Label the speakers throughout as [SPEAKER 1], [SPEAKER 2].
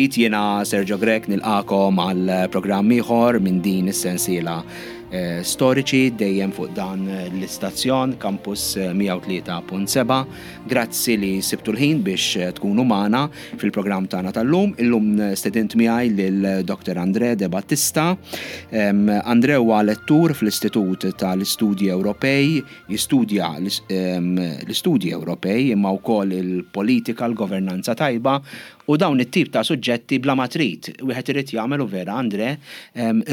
[SPEAKER 1] mill-ġdid jiena Sergio Grech nilqakom għal programm ieħor minn din is-sensiela eh, storiċi dejjem fuq dan l-istazzjon Campus 103.7. Grazzi li sibtu l-ħin biex eh, tkunu magħna fil-programm tagħna tal-lum. Illum stedint miegħi lil Dr. Andre De Battista. Andre huwa lettur fl-Istitut tal-Istudji Ewropej Jistudja l-istudji Ewropej imma wkoll il-politika, l-governanza tajba u dawn it-tip ta' suġġetti bla ma trid. Wieħed irid jagħmel u vera André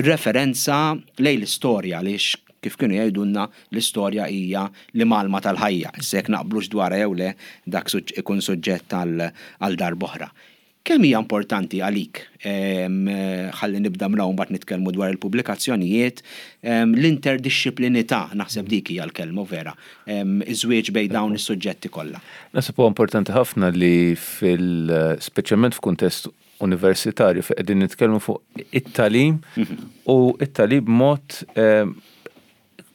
[SPEAKER 1] referenza lejn l-istorja għaliex kif kienu jgħidulna l-istorja hija l-imgħallma tal-ħajja. Issa jekk naqblux dwarha jew le dak ikun suġġett għal darb'oħra. Kemm hija importanti għalik, ħalli nibda minn hawn mbagħad nitkellmu dwar il-pubblikazzjonijiet, l-interdixxiplinità, naħseb dik hija l-kelma vera, iż-żwieġ bejn dawn is-suġġetti kollha.
[SPEAKER 2] Naħseb huwa importanti ħafna li fil, speċjalment f'kuntest universitarju fejn qegħdin nitkellmu fuq it-tagħlim u t-tagħlim b'mod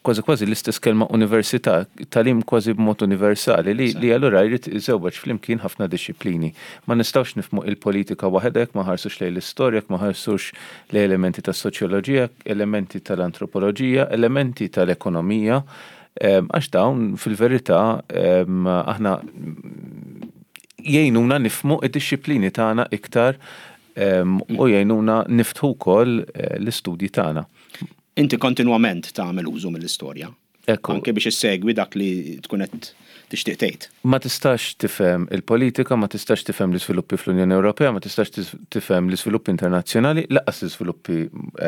[SPEAKER 2] kważi kważi l-istess kelma università, tagħlim kważi b'mod universali li, li allura jrid iżewweġ flimkien ħafna dixxiplini. Ma nistgħux nifhmu il-politika waħedha jekk ma nħarsux lejn l-istorja, jekk ma nħarsux lejn elementi tas-soċjoloġija, elementi tal-antropoloġija, elementi tal-ekonomija, għax dawn fil-verità aħna jgħinuna nifhmu id-dixxiplini tagħna iktar u jgħinuna niftħu wkoll eh, l-istudji tagħna.
[SPEAKER 1] Inti kontinwament tagħmel użu mill-istorja.
[SPEAKER 2] Ekku.
[SPEAKER 1] Anke biex issegwi dak li tkun qed tixtieq tgħid.
[SPEAKER 2] Ma tistax tifhem il-politika, ma tistax tifhem l-iżviluppi fl-Unjoni Ewropea, ma tistax tifhem l-iżviluppi internazzjonali, lanqas l-iżviluppi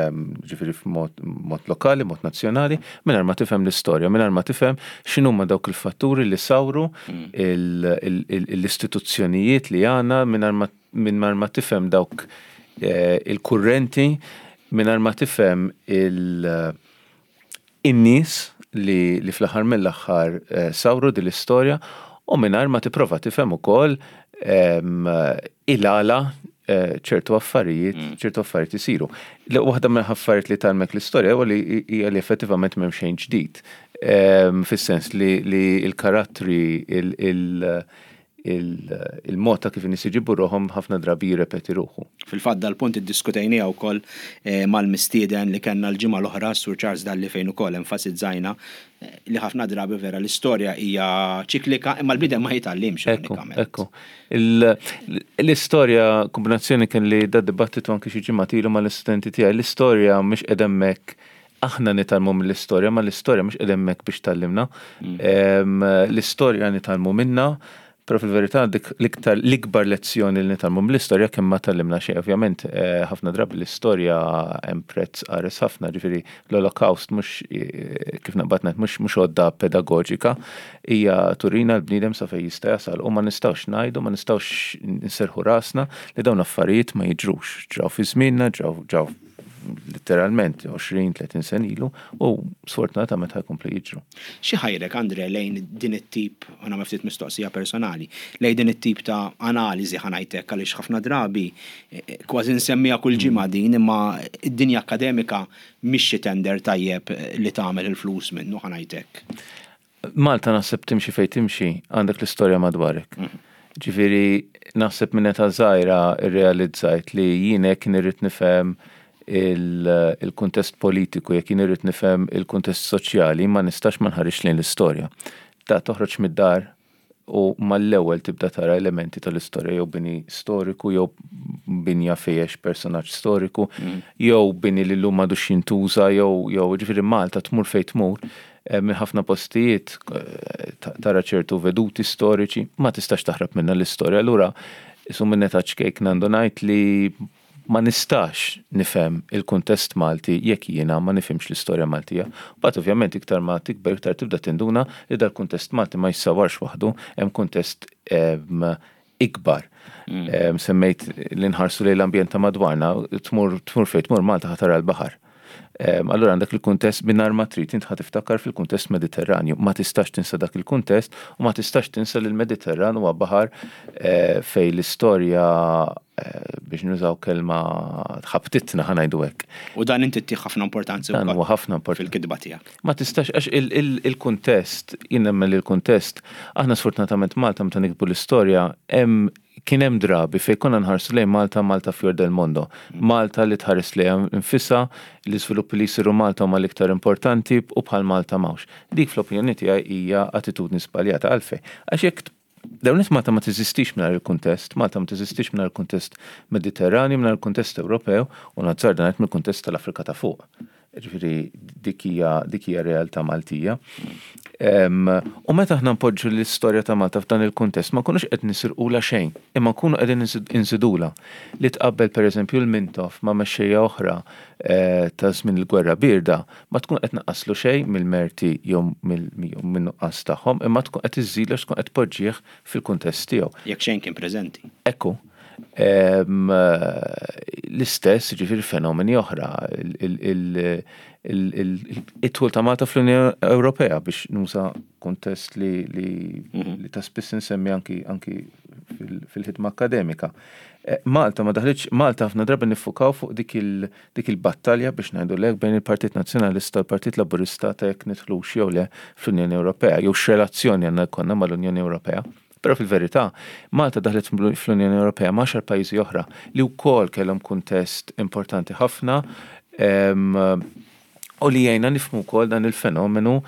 [SPEAKER 2] ehm, ġifieri f'mod lokali, mod nazzjonali, mingħajr ma tifhem l-istorja, mingħajr ma tifhem x'inhuma dawk il-fatturi li sawru mm. l-istituzzjonijiet li għandna mingħajr ma mingħajr ma tifhem dawk eh, il-kurrenti, mingħajr ma tifhem in-nies li, li fl-aħħar mill-aħħar eh, sawru din l-istorja u mingħajr ma tipprova tifhem ukoll ehm, il-għala eh, ċertu affarijiet, mm. ċertu affarijiet isiru. Waħda mill affarijiet li talmek l-istorja huwa li hija li effettivament m'hemm xejn ġdid. Ehm, fis-sens li l-karattri il- il-mod ta' kif in-nies iġibu ruħhom ħafna drabi jirrepeti ruħu.
[SPEAKER 1] Fil-fatt dal-punt iddiskutejniha wkoll eh, mal-mistieden li kellna l-ġimgħa l-oħra, Sur Charles Dalli fejn ukoll enfasizzajna eh, li ħafna drabi vera l-istorja hija ċiklika imma l-bniedem ma jitgħallimx
[SPEAKER 2] ironikament. Ekku. L-istorja kombinazzjoni kien li da dibattitu anki xi ġimgħa ilu mal-istudenti tiegħi, l-istorja mhix qed hemmhekk aħna nitgħallmu mill-istorja, ma l-istorja mhux qiegħda hemmhekk biex tgħallimna. Mm. L-istorja nitgħallmu minna, però fil-verità dik l-iktar l-ikbar lezzjoni li nitgħallmu mill-istorja kemm ma tgħallimna xejn. Ovvjament eh, ħafna drabi l-istorja hemm prezz qares ħafna, ġifieri l-Olokawst mhux eh, kif naqbad ngħid mhux mhux għodda pedagogika, hija turina l-bniedem sa fejn jista' jasal u ma nistgħux ngħidu, ma nistgħux nserħu rasna li dawn affarijiet ma jiġrux. Ġraw fi żmienna, ġraw ġraw literalment 20-30 sen ilu u sfortunatament ħajkomplu jiġru.
[SPEAKER 1] Xi ħajrek Andre lejn din it-tip, u nagħmel ftit mistoqsija personali, lejn din it-tip ta' analiżi ħa ngħid hekk għaliex ħafna drabi eh, eh, kważi nsemmiha kull ġimgħa din imma id-dinja akademika mhix xi tender tajjeb eh, li tagħmel il-flus minnu ħa ngħid hekk.
[SPEAKER 2] Malta naħseb timxi fejn timxi għandek l-istorja madwarek. Ġifieri naħseb minn età żgħira rrealizzajt li jien hekk irrid nifhem il-kuntest politiku, jekk jien irrid nifhem il-kuntest soċjali, ma nistax ma nħarisx lejn l-istorja. Ta' toħroġ mid-dar u mal-ewwel tibda tara elementi tal-istorja jew bini storiku jew binja fejn personaġġ storiku mm. jew bini li llum m'għadux jintuża jew jew ġifieri Malta tmur fejn tmur eh, minn ħafna postijiet eh, tara ċertu veduti storiċi ma tistax taħrab minna l-istorja. Allura isu minn età ċkejk nandu ngħid li Ma nistax nifhem il-kuntest Malti jekk jiena ma nifhimx l-istorja Maltija. Mbagħad ovvjament iktar ma tikber iktar tibda tinduna li dal-kuntest Malti ma jissawwarx waħdu, hemm kuntest ikbar. Semmejt li nħarsu lejn l-ambjent ta' madwarna, tmur tmur fejn tmur Malta ħa tara l-baħar. Allura għandek il-kuntest mingħajr ma trid int ħa tiftakar fil-kuntest Mediterranju. Ma tistax tinsa dak il-kuntest u ma tistax tinsa li l-Mediterran huwa baħar eh, fejn l-istorja eh, biex nużaw kelma ħabtitna ħa ngħidu hekk.
[SPEAKER 1] U dan inti ttih ħafna importanza
[SPEAKER 2] Dan huwa ħafna importanti.
[SPEAKER 1] fil-kitba tiegħek.
[SPEAKER 2] Ma tistax għax il-kuntest, jien nemmen li l-kuntest, aħna sfortunatament Malta meta nikbu l-istorja hemm Kien hemm drabi fejn konna nħarsu lejn Malta, Malta fior del mondo. Malta li tħares lejha nfisha, l-iżviluppi li jsiru Malta huma l-iktar importanti u bħal Malta m'hawnx. Dik fl-opinjoni tiegħi hija attitudni żbaljata. Għalfejn? Għax jekk L-ewwel nett Malta ma teżistix mingħajr il-kuntest, Malta ma teżistix mingħajr il-kuntest Mediterranju, mingħajr il-kuntest Ewropew u nazzarda ngħid mill-kuntest tal-Afrika ta' fuq. Ġifieri dik hija dik hija realtà Maltija. U meta aħna npoġġu l-istorja ta' Malta f'dan il-kuntest ma nkunux qed nisirqulha xejn, imma nkunu qegħdin inżidulha. Li tqabbel pereżempju l-Mintoff ma' mexxejja oħra eh, ta' żmien il-Gwerra Bierda ma tkun qed tnaqqaslu xejn mill-merti jew min-nuqqas tagħhom, imma tkun qed iżżidlu għax tkun qed tpoġġih fil-kuntest tiegħu.
[SPEAKER 1] Jekk xejn kien preżenti.
[SPEAKER 2] Ekku. L-istess, jiġifieri fenomeni oħra, it-dħul ta' Malta fl-Unjoni Ewropea biex nuża kuntest li mhm. ta' spiss insemmi anki fil-ħidma akademika. Eh, Malta ma daħlitx, Malta ħafna drabi niffukaw fuq dik il- dik il-battalja biex ngħidu lek bejn il-Partit Nazzjonalista u l-Partit Laburista ta' jekk nidħlux jew le fl-Unjoni Ewropea jew x'relazzjoni għandna jkollna mal-Unjoni Ewropea. Però fil-verità, Malta daħlet fl-Unjoni Ewropea ma' għaxar pajjiżi oħra li wkoll kellhom kuntest importanti ħafna u li jgħinna nifhmu wkoll dan il-fenomenu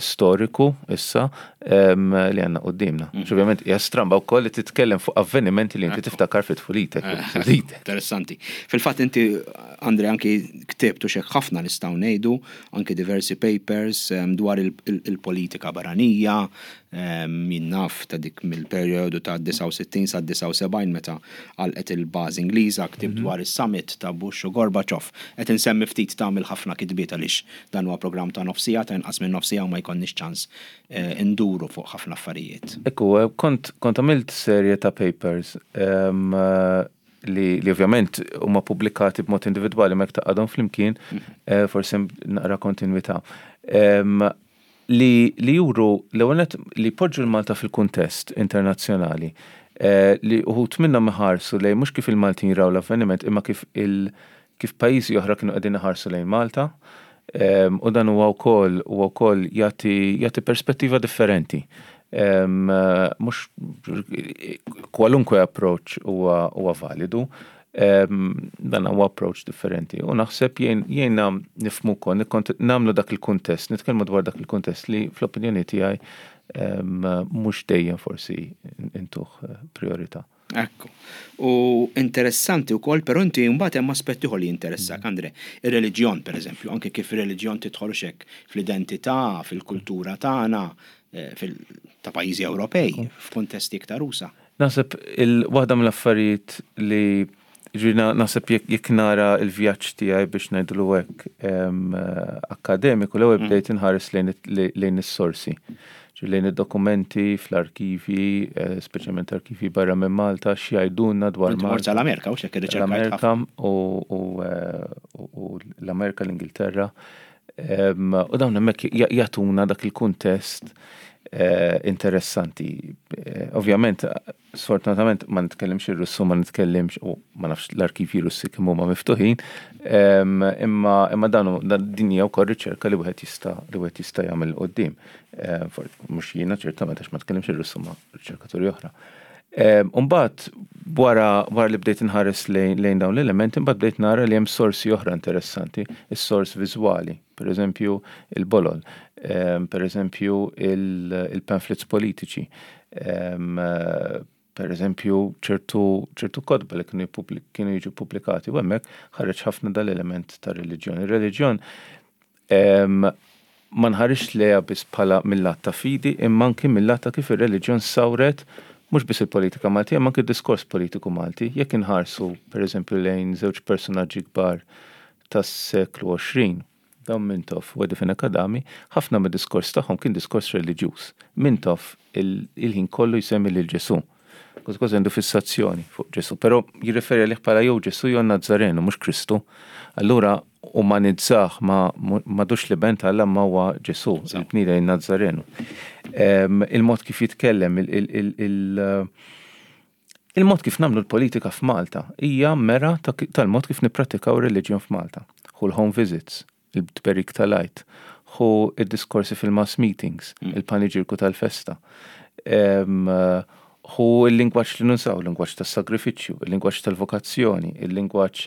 [SPEAKER 2] storiku issa li għandna quddiemna. Mm. Ovvjament hija stramba wkoll li titkellem fuq avvenimenti li inti tiftakar fi tfulitek.
[SPEAKER 1] Eh, interessanti. Fil-fatt inti Andre anki ktibtu xek ħafna nistgħu ngħidu anki diversi papers dwar il-politika barranija, Jien naf ta' dik mill-perjodu ta' 69 sa 79 meta għalqet il-bażi Ingliża, ktibt dwar is-summit ta' Bush u Gorbachev. Qed insemmi ftit ta' mill-ħafna kitbiet għaliex dan huwa programm ta' nofs siegħa, ta' inqas minn nofs siegħa u ma jkollniex ċans induru fuq ħafna affarijiet.
[SPEAKER 2] Ekku, kont kont għamilt serje ta' papers li li ovvjament huma pubblikati b'mod individwali ma jekk tgħaqqadhom flimkien forsi hemm naqra kontinwità. Li li juru l-ewwel nett li jpoġġu 'l Malta fil-kuntest internazzjonali, li uħud minnhom iħarsu lejn mhux kif il-Maltin raw l-avveniment imma kif il kif pajjiżi oħra kienu qegħdin iħarsu lejn Malta u dan huwa wkoll huwa wkoll jagħti jagħti perspettiva differenti. Mhux kwalunkwe approach huwa huwa validu, Dan huwa approach differenti u naħseb jgħinna nifhmu wkoll, nagħmlu dak il-kuntest, nitkellmu dwar dak il-kuntest li fl-opinjoni tiegħi mhux dejjem forsi intuh eh, priorità.
[SPEAKER 1] Ekku. U interessanti wkoll, però inti mbagħad hemm aspett ieħor li jinteressak, mm. Andre, ir-reliġjon pereżempju, anke kif ir-reliġjon tidħol xek fl-identità, fil-kultura tagħna, eh, ta' pajjiżi Ewropej, f'kuntesti iktar usa.
[SPEAKER 2] Naħseb il waħda mill-affarijiet li ġifieri naħseb jekk nara l-vjaġġ tiegħi biex ngħidlu hekk akkademiku l-ewwel mm. bdejt inħares lejn is-sorsi. Lejn id-dokumenti fl-arkivji, eh, speċjalment arkivji barra minn Malta, x'jgħidulna dwar
[SPEAKER 1] Malta. L-Amerika, u x'hekk
[SPEAKER 2] l-Amerika eh, u l-Amerika, l-Ingilterra. U dawn hemmhekk jagħtuna dak il-kuntest eh, interessanti. Eh, ovvjament, sfortunatament ma nitkellimx ir-Russu, ma nitkellimx u ma nafx l-arkivji Russi kemm huma miftuħin, imma imma dan din hija wkoll riċerka li wieħed jista' li wieħed jista' jagħmel quddiem. Mhux jiena ċertament għax ma tkellimx ir-Russu ma riċerkaturi oħra. Umbagħad wara wara li bdejt inħares lejn dawn l-elementi, imbagħad bdejt nara li hemm sorsi oħra interessanti, is-sors viżwali, per eżempju il-bolol, per eżempju il-pamphlets politiċi, per eżempju ċertu ċertu kotba li kienu kienu jiġu pubblikati u hemmhekk ħareġ ħafna dal-element ta' reliġjon. Ir-reliġjon Ma nħarisx lejha biss bħala mil-lat ta' fidi imma anki mil-lat ta' kif ir-reliġjon sawret mhux biss il-politika Maltija imma anki d-diskors politiku Malti. Jekk inħarsu, per eżempju, lejn żewġ persunaġġi kbar tas-seklu 20, Dom Mintoff u Eddie Fenech Adami, ħafna mid-diskors tagħhom kien diskors reliġjuż. Mintoff il-ħin kollu jsemmi lil Ġesù. Kważi kważi għandu fissazzjoni fuq Ġesù, però jirreferi għalih bħala jew Ġesù jew Nazzarenu, mhux Kristu. Allura umanizzah ma m'għadux l-Iben ta' Alla imma huwa Ġesù, il-bniedem in-Nazzarenu. Il-mod kif jitkellem, il-mod kif nagħmlu l-politika f'Malta hija mera tal-mod kif nipprattikaw ir-reliġjon f'Malta. Hu l-home visits, il-tberik tal-Għid, hu d-diskorsi fil-mass meetings, il-paniġierku tal-festa. Hu l-lingwaġġ li nużaw, il-lingwaġġ tas-sagrifiċċju, il-lingwaġġ tal-vokazzjoni, il-lingwaġġ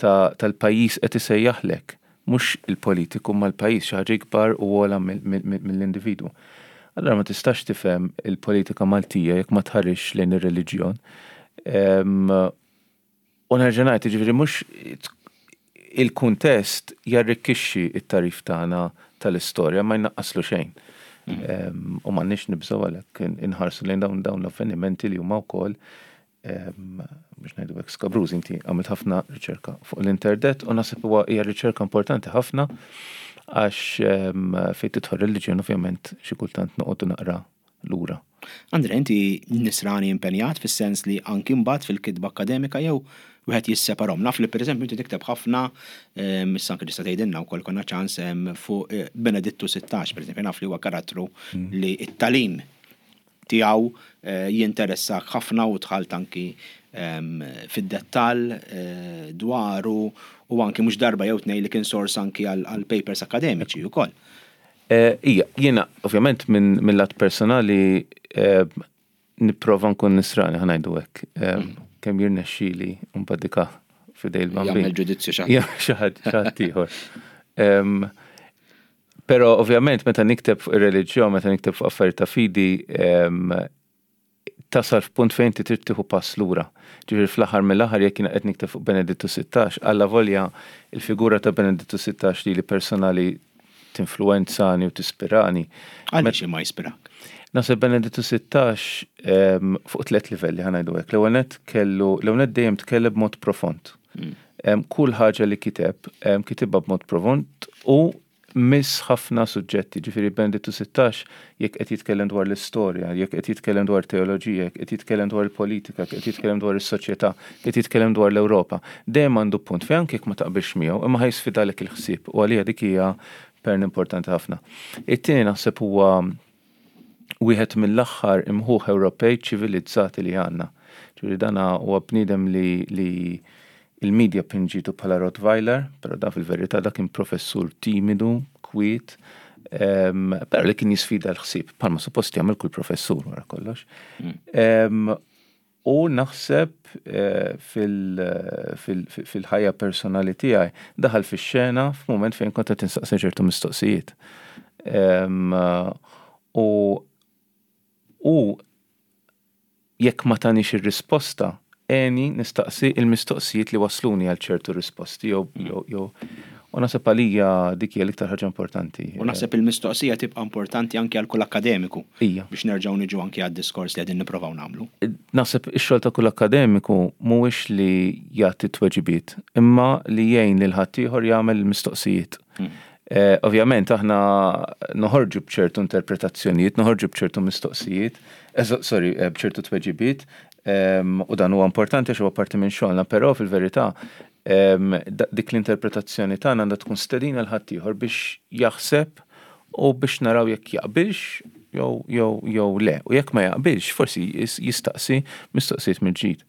[SPEAKER 2] tal-pajjiż qed isejjaħlek. Mhux il-politiku imma l-pajjiż, xi ħaġa ikbar u ogħla mill-individwu. Allura ma tistax tifhem il-politika Maltija jekk ma tħarisx lejn ir-reliġjon. U nerġa' ngħid, jiġifieri mhux il-kuntest jarrikkixxi t-tagħrif tagħna tal-istorja ma jnaqqaslu xejn. U m'għandniex nibżgħu għalhekk inħarsu lejn dawn dawn l-avvenimenti li huma wkoll biex ngħidu hekk skabrużi. Inti għamilt ħafna riċerka fuq l-interdet u naħseb huwa hija riċerka importanti ħafna għax fejn tidħol reliġjon ovvjament xi kultant noqogħdu naqra lura.
[SPEAKER 1] Andre, inti nisrani impenjat fis-sens li anki mbagħad fil-kitba akkademika jew wieħed jisseparhom? Naf li pereżempju inti tikteb ħafna, issa anki tista' tgħidilna wkoll konna ċans fuq Benedittu 16 pereżempju, naf li huwa karattru li t-tagħlim tiegħu jinteressak ħafna u dħalt anki fid-dettall dwaru u anki mhux darba jew tnejn li kien sors anki għal papers akkademiċi wkoll.
[SPEAKER 2] Ija, jiena ovvjament minn lat personali nipprova nkun nisrani ħa ngħidu hekk. Kemm jirnexxieli mbagħad dika f'idej il-Bambin.
[SPEAKER 1] Jagħmel ġudizzju xi ħadd.
[SPEAKER 2] Xi ħadd ieħor. Però ovvjament meta nikteb fuq ir-reliġjon, meta nikteb fuq affarijiet ta' fidi, tasal f'punt fejn inti trid tieħu pass lura. Ġifieri fl-aħħar mill-aħħar jekk jiena qed nikteb fuq Benedittu 16, allavolja il-figura ta' Benedittu 16 lili personali tinfluwenzani u tispirani.
[SPEAKER 1] Għaliex imma jispirak?
[SPEAKER 2] Naħseb Benedittu 16 fuq tlett livelli ħa ngħidu hekk. L-ewwel nett kellu, l-ewwel nett dejjem tkellem b'mod profond. Kull ħaġa li kiteb, kitibha b'mod profond u miss ħafna suġġetti, ġifieri Benedittu 16 jekk qed jitkellem dwar l-istorja, jekk qed jitkellem dwar teoloġija, jekk qed jitkellem dwar il-politika, jekk qed jitkellem dwar is-soċjetà, jekk qed jitkellem dwar l-Ewropa, dejjem għandu punt fejn anke jekk ma taqbilx miegħu, imma ħa jisfidalek il-ħsieb u għalija dik hija pern importanti ħafna. It-tieni naħseb huwa wieħed mill-aħħar imħuħ Ewropej ċivilizzati li għandna. Ġifieri dan huwa bniedem li, li il-media pinġitu bħala Rottweiler, però dan fil-verità dak kien professur timidu, kwiet, però li kien jisfida l-ħsieb, bħalma suppost jagħmel kull professur wara kollox. U naħseb fil-ħajja personali tiegħi daħal fix-xena f'mument fejn kont qed insaqsi ċertu mistoqsijiet. U hu jekk ma tanix ir-risposta, għeni nistaqsi l-mistoqsijiet li wassluni għal ċertu risposti jew jew u naħseb għalija dik hija l-iktar ħaġa importanti.
[SPEAKER 1] U naħseb il-mistoqsija tibqa' importanti anki għal kull akkademiku.
[SPEAKER 2] Ija.
[SPEAKER 1] Biex nerġgħu niġu anki għad-diskors li qegħdin nipprovaw nagħmlu.
[SPEAKER 2] Naħseb ix-xogħol ta' kull akkademiku mhuwiex li jagħti t-tweġibiet, imma li jgħin lil ħaddieħor jagħmel il-mistoqsijiet. Ovvjament aħna noħorġu b'ċertu interpretazzjonijiet, noħorġu b'ċertu mistoqsijiet, sorry, b'ċertu tweġibiet, u dan huwa importanti għax huwa parti minn xogħolna, però fil-verità dik l-interpretazzjoni tagħna għandha tkun stedina l ħaddieħor biex jaħseb u biex naraw jekk jaqbilx jew jew jew le. U jekk ma jaqbilx, forsi jistaqsi mistoqsijiet mill-ġdid.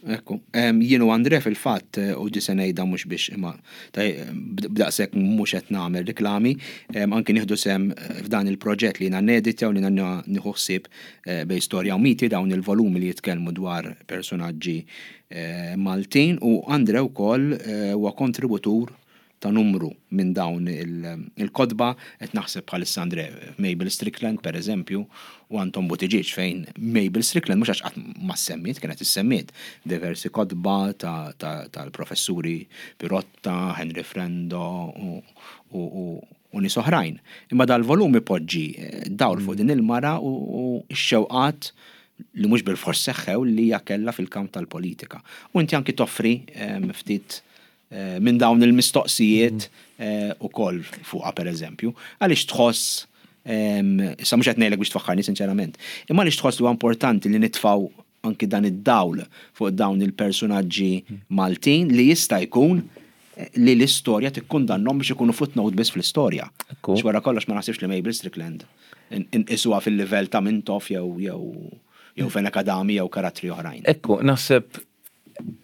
[SPEAKER 1] Ekku. Jien u Andre fil-fatt, u di se ngħidha mhux biex imma b'daqshekk mhux qed nagħmel riklami, anki nieħdu sehem f'dan il-proġett li jiena neditja u li jiena nieħu ħsieb bejn storja u miti dawn il-volumi li jitkellmu dwar persunaġġi Maltin u Andre wkoll huwa kontributur ta' numru minn dawn il-kotba, qed naħseb bħalissa Andre Mabel Strickland per eżempju u Anton Buttigieg fejn Mabel Strickland mhux għax qatt ma ssemmiet, kienet issemmiet diversi kotba tal-professuri Pirotta, Henry Frendo u nies oħrajn. Imma dal-volum ipoġġi dawl fuq din il-mara u x-xewqat li mhux bilfors seħħew li hija kellha fil-kamp tal-politika. U inti anki toffri ftit minn dawn il-mistoqsijiet ukoll fuqha pereżempju. Għaliex tħoss, issa mhux qed ngħidlek biex tfaħħarni sinċerament, imma għaliex tħoss li huwa importanti li nitfgħu anki dan id-dawl fuq dawn il-persunaġġi Maltin li jista' jkun li l-istorja tikkundannhom biex ikunu footnote biss fl-istorja. Għax wara kollox ma naħsibx li Mabel Strickland inqisuha fil-livell ta' Mintoff jew jew jew Fenech Adami jew karattri oħrajn.
[SPEAKER 2] Ekku, naħseb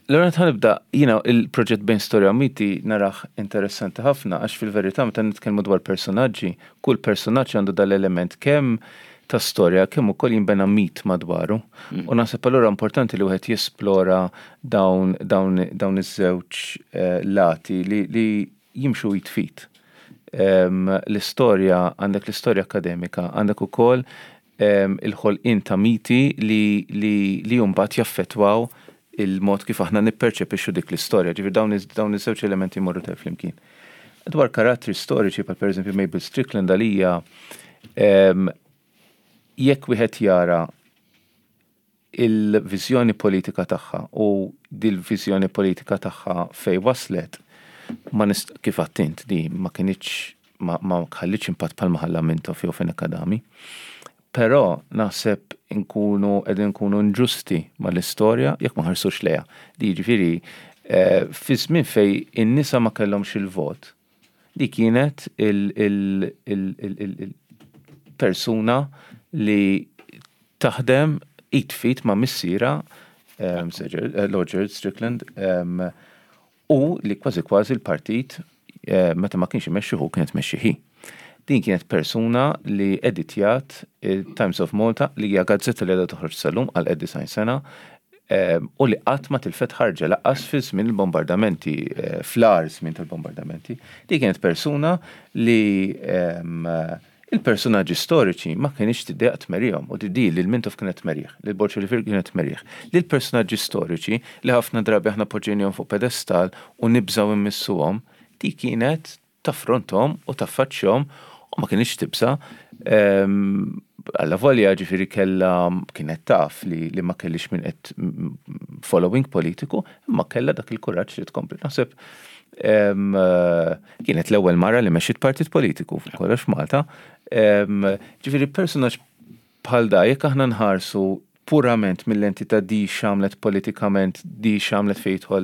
[SPEAKER 2] l-ewwel nett ħa nibda, jiena il-proġett Bejn Storja u Miti narah interessanti ħafna għax fil-verità meta nitkellmu dwar persunaġġi, kull persunaġġ għandu dal-element kemm ta' storja kemm ukoll jinbena mit madwaru. U naħseb allura importanti li wieħed jesplora dawn dawn dawn iż-żewġ lati li li jimxu id f'id. L-istorja, għandek l-istorja akkademika, għandek ukoll il-ħolqien ta' miti li li li mbagħad jaffettwaw il-mod kif aħna nipperċepixxu dik l-istorja. Ġifieri dawn dawn iż-żewġ elementi jmorru tajjeb flimkien. Dwar karattri storiċi bħal pereżempju Mabel Strickland għalija jekk wieħed jara il-viżjoni politika tagħha u dil-viżjoni politika tagħha fejn waslet, ma nist kif għedt int di ma kinitx ma ma ħallitx impatt bħalma ħalla Mintoff jew Fenech Adami. Però naħseb inkunu qegħdin nkunu inġusti mal-istorja jekk ma nħarsux lejha. Di jiġifieri fi żmien fejn in-nisa ma kellhomx il-vot, di kienet il-persuna li taħdem id f'id ma' missierha Lord Gerald Strickland u li kważi kważi l-partit meta ma kienx imexxi hu kienet tmexxi hi. Din kienet persuna li editjat il-Times of Malta li hija gazzetta li għadha toħroġ sal-lum għal 90 sena u li qatt ma tilfet ħarġa lanqas fi żmien il-bombardamenti, fl-agħar żmien tal-bombardamenti. Din kienet persuna li il-personaġġi storiċi ma kienx tiddejjaq tmerihom u di lil Mintoff kienet tmerih, lil Borg Olivier kienet tmerih. Lil personaġġi storiċi li ħafna drabi aħna poġġejnihom fuq pedestal u nibżgħu immissuhom, di kienet taffronthom u taffaċċjahom u ma kienx tibża'. Allavolja ġifieri kellha kienet taf li, li ma kellix min qed following politiku, imma kellha dak il-kuraġġ li tkompli. Naħseb kienet l-ewwel mara li mexxiet partit politiku fuq kollox f'Malta. Ġifieri personaġġ bħal da jekk aħna nħarsu purament mill-lenti ta' di x'għamlet politikament, di x'għamlet fejn jidħol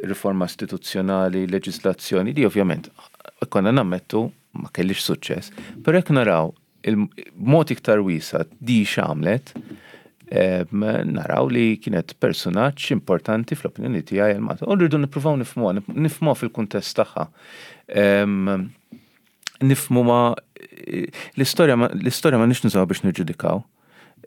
[SPEAKER 2] riforma istituzzjonali, leġislazzjoni, di ovvjament konna nammettu ma kellix suċċess. Però jekk naraw il-mod iktar wiesa' di x'għamlet, naraw li kienet personaġġ importanti fl-opinjoni tiegħi għal Malta. U rridu nippruvaw nifhmuha, nifhmuha fil-kuntest tagħha. Nifhmu ma l-istorja l-istorja ma nix nużaw biex niġġudikaw.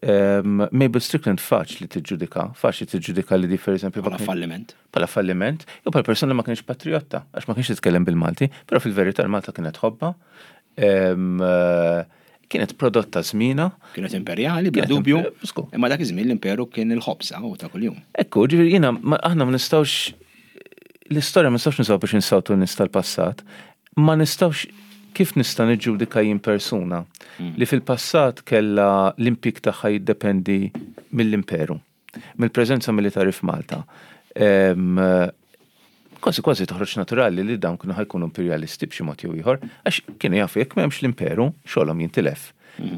[SPEAKER 2] Mabel Strickland faċli tiġġudika, faċli tiġġudika li di per eżempju
[SPEAKER 1] Bħala falliment.
[SPEAKER 2] Bħala falliment, jew bħala persuna ma kienx patriotta, għax ma kienx titkellem bil-Malti, però fil-verità l-Malta kienet tħobbha. Kienet prodotta żmienha.
[SPEAKER 1] Kienet imperjali, bla dubju. Imma dak iż-żmien l-imperu kien il-ħobż u ta' kuljum.
[SPEAKER 2] Ekku, ġifieri jiena aħna ma nistgħux l-istorja ma nistgħux nużaw biex insawtu n-nies tal-passat. Ma nistgħux kif nista' niġġudika jien persuna li fil-passat kellha l-impjieg tagħha jiddependi mill-imperu, mill-preżenza militari f'Malta. Kważi kważi toħroġ naturali li dawn kienu ħa jkunu imperjalisti b'xi mod jew ieħor, għax kienu jafu jekk m'hemmx l-imperu, xogħolhom jintilef.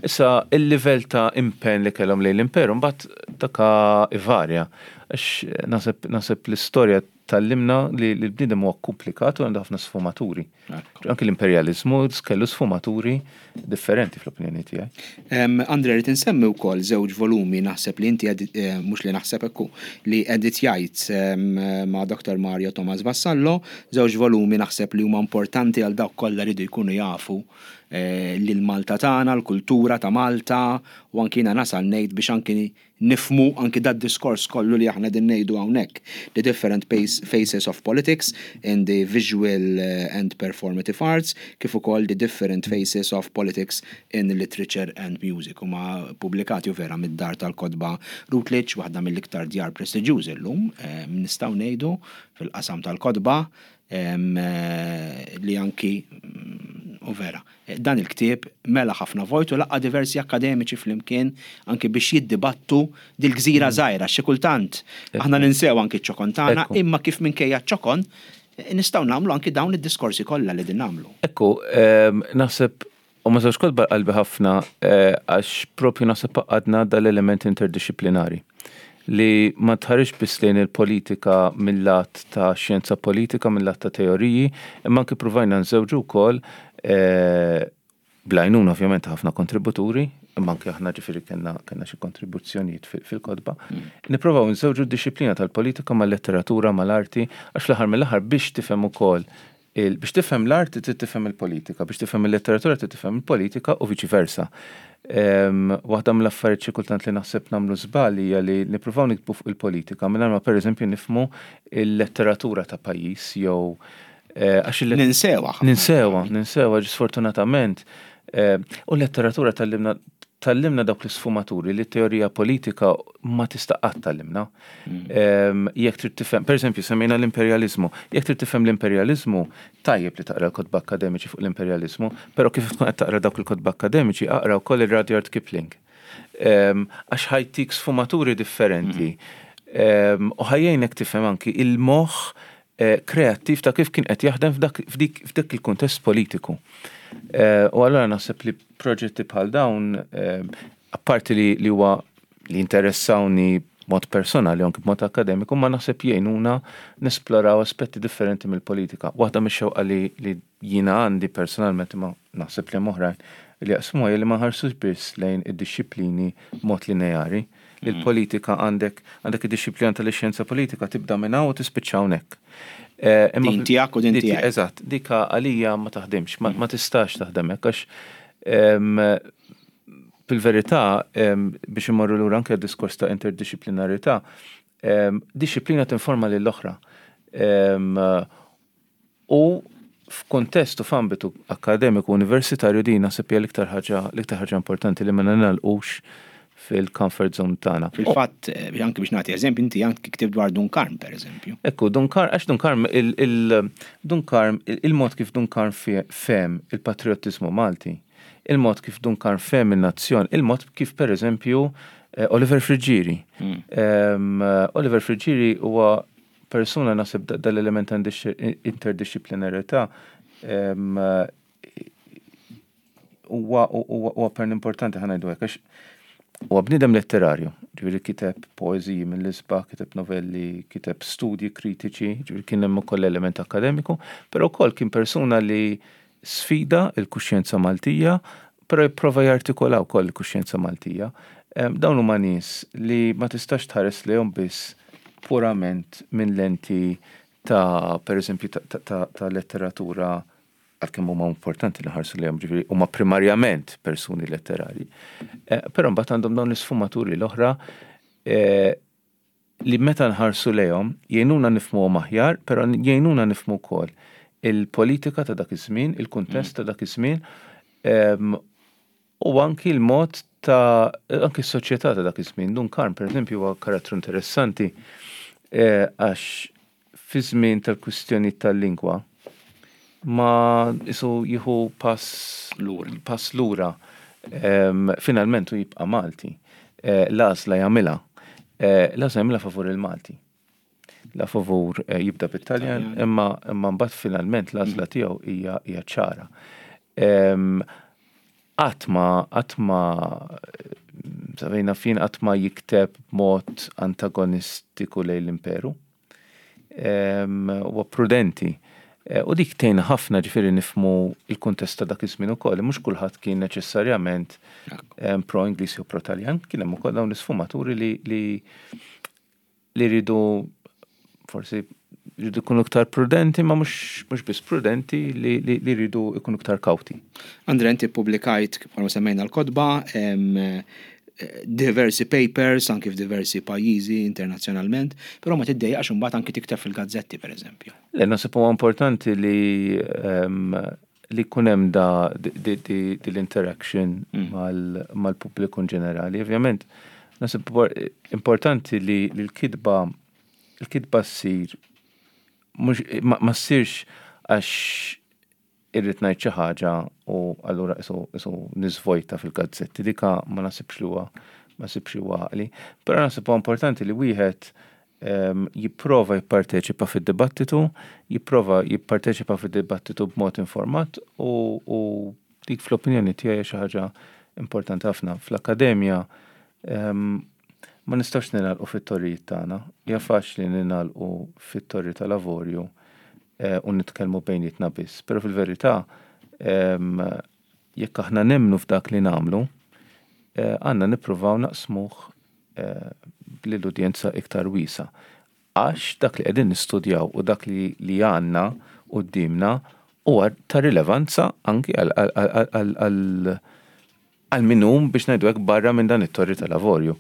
[SPEAKER 2] Issa il-livell ta' impenn li kellhom lejn l-imperu mbagħad daka ivarja. Għax naħseb naħseb l-istorja tgħallimna li l-bniedem huwa komplikat u għandu ħafna sfumaturi. Anki l-imperjaliżmu kellu sfumaturi differenti fl-opinjoni tiegħi.
[SPEAKER 1] Andre, rrid insemmi wkoll żewġ volumi naħseb li inti mhux li naħseb ekku li editjajt ma' Dr. Mario Thomas Vassallo, żewġ volumi naħseb li huma importanti għal dawk kollha rridu jkunu jafu lil Malta tagħna, l-kultura ta' Malta, u anki jiena nasal ngħid biex anki nifhmu anki dad-diskors kollu li aħna din ngħidu hawnhekk. The Different Faces of Politics in the Visual and Performative Arts, kif ukoll The Different Faces of Politics in Literature and Music. Huma pubblikati u vera mid-dar tal-kotba Routledge, waħda mill-iktar djar prestiġjużi llum, nistgħu ngħidu fil-qasam tal-kotba, li anki u vera. Dan il-ktieb mela ħafna vojt u laqqa' diversi akkademiċi flimkien anki biex jiddibattu dil-gżira żgħira. Xi kultant aħna ninsew anki ċ-ċokon tagħna, imma kif minkejja ċ-ċokon nistgħu nagħmlu anki dawn id-diskorsi kollha li din nagħmlu.
[SPEAKER 2] Ekku, naħseb u ma żewġ kotba qalbi ħafna għax propju naħseb għadna dal-element interdixxiplinari li ma tħarex biss lejn il-politika mill-lat ta' xjenza politika, mill-lat ta' teoriji, imma anki provajna nżewġu wkoll bl-għajnuna ovvjament ħafna kontributuri, imma anke aħna ġifieri kellna xi kontribuzzjonijiet fil-kotba. Nipprovaw nżewġu d-dixxiplina tal-politika mal-letteratura, mal-arti, għax fl-aħħar mill-aħħar biex tifhem ukoll biex tifhem l-arti trid tifhem il-politika, biex tifhem il-letteratura trid tifhem il-politika u viċi versa. Waħda mill-affarijiet xi kultant li naħseb nagħmlu żball hija li nippruvaw niktbu fuq il-politika mingħajr ma pereżempju nifhmu l-letteratura ta' pajjiż jew
[SPEAKER 1] għax il Ninsewha.
[SPEAKER 2] Ninsewha, ninsewha sfortunatament. U l-letteratura tgħallimna tgħallimna dawk l-isfumaturi li t-teorija politika ma tista' qatt tgħallimna. Jekk trid tifhem, pereżempju semmejna l-imperjaliżmu, jekk trid tifhem l-imperjaliżmu, tajjeb li taqra l-kotba akkademiċi fuq l-imperjaliżmu, però kif tkun qed taqra dawk il-kotba akkademiċi, aqra wkoll ir-Rudyard Kipling. Għax ħa jtik sfumaturi differenti. U ħa jgħinek tifhem anki il-moħħ kreattiv ta' kif kien qed jaħdem f'dak il-kuntest politiku. U allura naħseb li proġetti bħal dawn, apparti li huwa li interessawni b'mod personali u anki b'mod akkademiku, ma naħseb jgħinuna nesploraw aspetti differenti mill-politika. Waħda mix-xewqa li jiena għandi personalment, imma naħseb li hemm oħrajn li jaqsmuha, hija li ma nħarsux biss lejn id-dixxiplini b'mod lineari. Li l-politika għandek għandek id-dixxiplina tal-ixjenza politika tibda minn hawn u tispiċċa hawnhekk.
[SPEAKER 1] Imma Din tiegħek u din tiegħek.
[SPEAKER 2] Eżatt, dik għalija ma taħdimx, ma tistax taħdem hekk għax fil-verità biex immorru lura anke għad-diskors ta' interdixxiplinarità, dixxiplina tinforma lill-oħra. U f'kuntest u f'ambitu akkademiku universitarju din naħseb hija l-iktar ħaġa l-iktar ħaġa importanti li ma ningħalqux fil-comfort zone tagħna.
[SPEAKER 1] Fil-fatt, anki biex nagħti eżempju, inti anki ktibt dwar Dun Karm, per eżempju.
[SPEAKER 2] Ekku, Dun Karm, għax Dun Karm, il-Dun Karm, il-mod kif Dun Karm fehem il-patriottiżmu Malti, il-mod kif Dun Karm fehem in-nazzjon, il-mod kif per eżempju Oliver Friggieri. Oliver Friggieri huwa persuna naħseb dal-element ta' interdixxiplinarità huwa huwa pern importanti ħa ngħidu hekk għax huwa bniedem letterarju, ġifieri kiteb poeżiji mill-isbaħ, kiteb novelli, kiteb studji kritiċi, ġifieri kien hemm ukoll element akkademiku, però wkoll kien persuna li sfida l-kuxjenza Maltija, però jipprova jartikola wkoll il-kuxjenza Maltija. Dawn huma nies li ma tistax tħares lejhom biss purament minn lenti ta' pereżempju ta' letteratura għalkemm huma importanti li nħarsu lejhom, ġifieri huma primarjament persuni letterarji. Però mbagħad għandhom dawn l-isfumaturi l-oħra li meta nħarsu lejhom jgħinuna nifhmuhom aħjar, però jgħinuna nifhmu wkoll il-politika ta' dak iż-żmien, il-kuntest ta' dak iż-żmien u anki l-mod ta' anki s-soċjetà ta' dak iż-żmien. Dun Karm, pereżempju, huwa karattru interessanti għax fi żmien tal-kwistjonijiet tal-lingwa ma isu jieħu pass lura. Pass lura. Finalment u jibqa' Malti. L-għażla jagħmilha. L-għażla jagħmilha favur il-Malti. La favur jibda bit-Taljan, imma imma mbagħad finalment l-għażla tiegħu hija hija ċara. Qatt ma qatt ma sa fejn naf jien qatt ma jikteb b'mod antagonistiku lejn l-imperu. Huwa prudenti. U dik tgħinna ħafna ġifieri nifhmu l-kuntest ta' dak iż-żmien ukoll. Mhux kulħadd kien neċessarjament pro-Ingliż jew pro-Taljan, kien hemm ukoll dawn l-isfumaturi li li li rridu forsi rridu jkunu iktar prudenti, ma mhux mhux biss prudenti li li rridu jkunu iktar kawti.
[SPEAKER 1] Andre, inti ppubblikajt, bħalma semmejna l-kotba, diversi papers anki f'diversi pajjiżi internazzjonalment, però ma tiddejjaqx imbagħad anki tikteb fil-gazzetti pereżempju.
[SPEAKER 2] Le, naħseb huwa importanti li li jkun hemm da l-interaction mal-pubbliku in ġenerali. Ovvjament, naħseb importanti li l-kitba l-kitba ssir mhux ma ssirx għax irrid ngħid xi ħaġa u allura qisu qisu niżvojta fil-gazzetti. Dika ma naħsibx li huwa ma naħsibx li huwa għaqli. Però naħseb huwa importanti li wieħed jipprova jipparteċipa fid-dibattitu, jipprova jipparteċipa fid-dibattitu b'mod informat u, u dik fl-opinjoni tiegħi xi ħaġa importanti ħafna. Fl-akkademja ma nistgħux ningħalqu fit-torrijiet tagħna. Hija faċli ningħalqu fit-torri tal-avorju u nitkellmu bejnietna biss. Però fil-verità jekk aħna nemmnu f'dak li nagħmlu, għandna nippruvaw naqsmuh lill-udjenza iktar wiesgħa. Għax dak li qegħdin nistudjaw u dak li li għandna quddiemna huwa ta' rilevanza anki għal Għal min hu biex ngħidu hekk barra minn dan it-torri tal-avorju.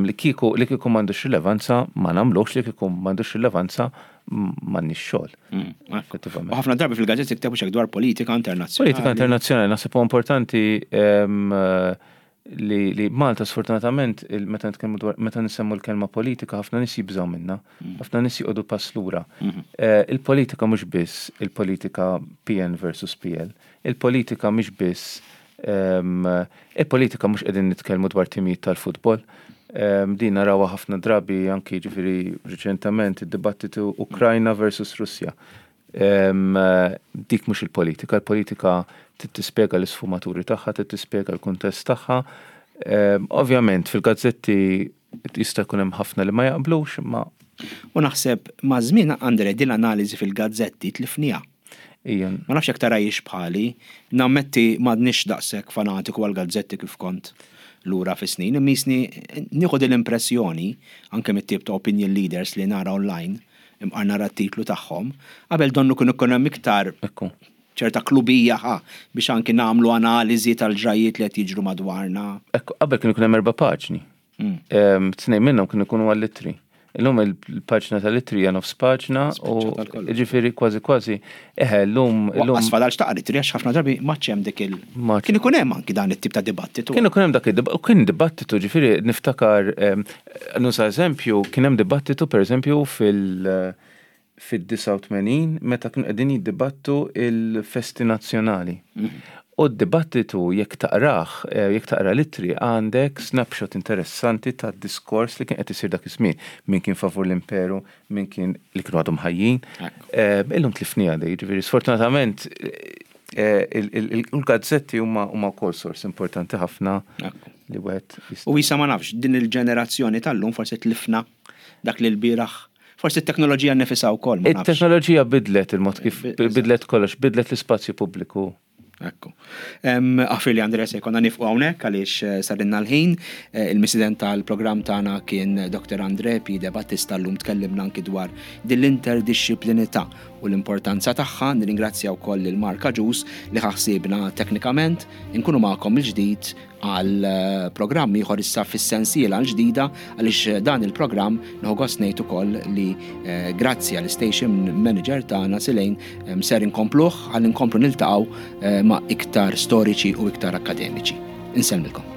[SPEAKER 2] Li kieku li kieku m'għandux rilevanza ma nagħmluhx li kieku m'għandux rilevanza m'għandniex xogħol.
[SPEAKER 1] Mm, effettivament. U ħafna drabi fil-gazzetti ktebu xek dwar politika internazzjonali.
[SPEAKER 2] Politika internazzjonali naħseb huwa importanti li, li Malta sfortunatament meta nitkellmu dwar meta nsemmu l-kelma politika ħafna nies jibżgħu minnha, mm. ħafna nies joqogħdu pass lura. Mm-hmm. Eh, il-politika mhux biss il-politika PN versus PL, il-politika mhix biss Il-politika mhux qegħdin nitkellmu dwar timijiet tal-futbol. Din narawha ħafna drabi anki ġifieri riċentament id-dibattitu Ukrajna versus Russja. Dik mhux il-politika, il-politika trid tispjega l-isfumaturi tagħha, trid tispjega l-kuntest tagħha. Ovvjament fil-gazzetti jista' jkun hemm ħafna li ma jaqblux, imma
[SPEAKER 1] U naħseb maż-żmien Andre din l-analiżi fil-gazzetti tlifniha.
[SPEAKER 2] Ian.
[SPEAKER 1] Ma nafx jekk tarahiex bħali, nammetti m'għadnix daqshekk fanatiku għall-gazzetti kif kont lura fis-snin, imma qisni nieħu din l-impressjoni, anke mit-tip ta' opinion leaders li nara online, imqar nara t-titlu tagħhom, qabel donnu kien ikun hemm iktar ċerta klubija ħa biex anki nagħmlu analiżi tal-ġrajjiet li qed jiġru madwarna.
[SPEAKER 2] Ekku, qabel kien ikun hemm erba' paġni. Tnejn minnhom kienu jkunu għall-ittri. Illum il-paġna tal-ittri hija nofs paġna u ġifieri kważi kważi eħe llum.
[SPEAKER 1] Lanqas fadal x'taqra ittri għax ħafna drabi m'għadx hemm dik il. Kien ikun hemm anki dan it-tip ta' dibattitu.
[SPEAKER 2] Kien ikun hemm dak id-dibattitu, kien dibattitu ġifieri niftakar nuża eżempju, kien hemm dibattitu pereżempju fil- fid-89 meta kienu qegħdin jiddibattu l-festi nazzjonali. U d-dibattitu jekk taqrah, jekk taqra l-ittri għandek snapshot interessanti tad-diskors li kien qed isir dak iż-żmien. Min kien favur l-imperu, min kien li kienu għadhom ħajjin. Illum tlifniha di, jiġifieri sfortunatament il-gazzetti huma wkoll sors importanti ħafna li wieħed
[SPEAKER 1] jista'. U issa ma nafx, din il-ġenerazzjoni tal-lum forsi tlifna dak li lbieraħ Forsi t-teknoloġija nnifisha wkoll.
[SPEAKER 2] It-teknoloġija bidlet il-mod kif bidlet kollox, bidlet l-ispazju pubbliku.
[SPEAKER 1] Ekku. Aħfirli Andrea se jkollna nifqu hawnhekk għaliex eh, sarinna l-ħin. Eh, il-misiden tal-programm tagħna kien Dr. Andre P. De Battista llum tkellimna anki dwar din l-interdixxiplinità u l-importanza tagħha. Nirringrazzja wkoll lil Mark Agius li ħaħsibna teknikament. Inkunu magħkom il-ġdid għal programm ieħor issa fis-sensiela l-ġdida għaliex dan il-programm nieħu gost ngħid ukoll li eh, grazzi għall station manager tagħna Silejn eh, ser inkompluh ħalli nkomplu niltaqgħu eh, ma' iktar storiċi u iktar akademiċi. Insellmilkom.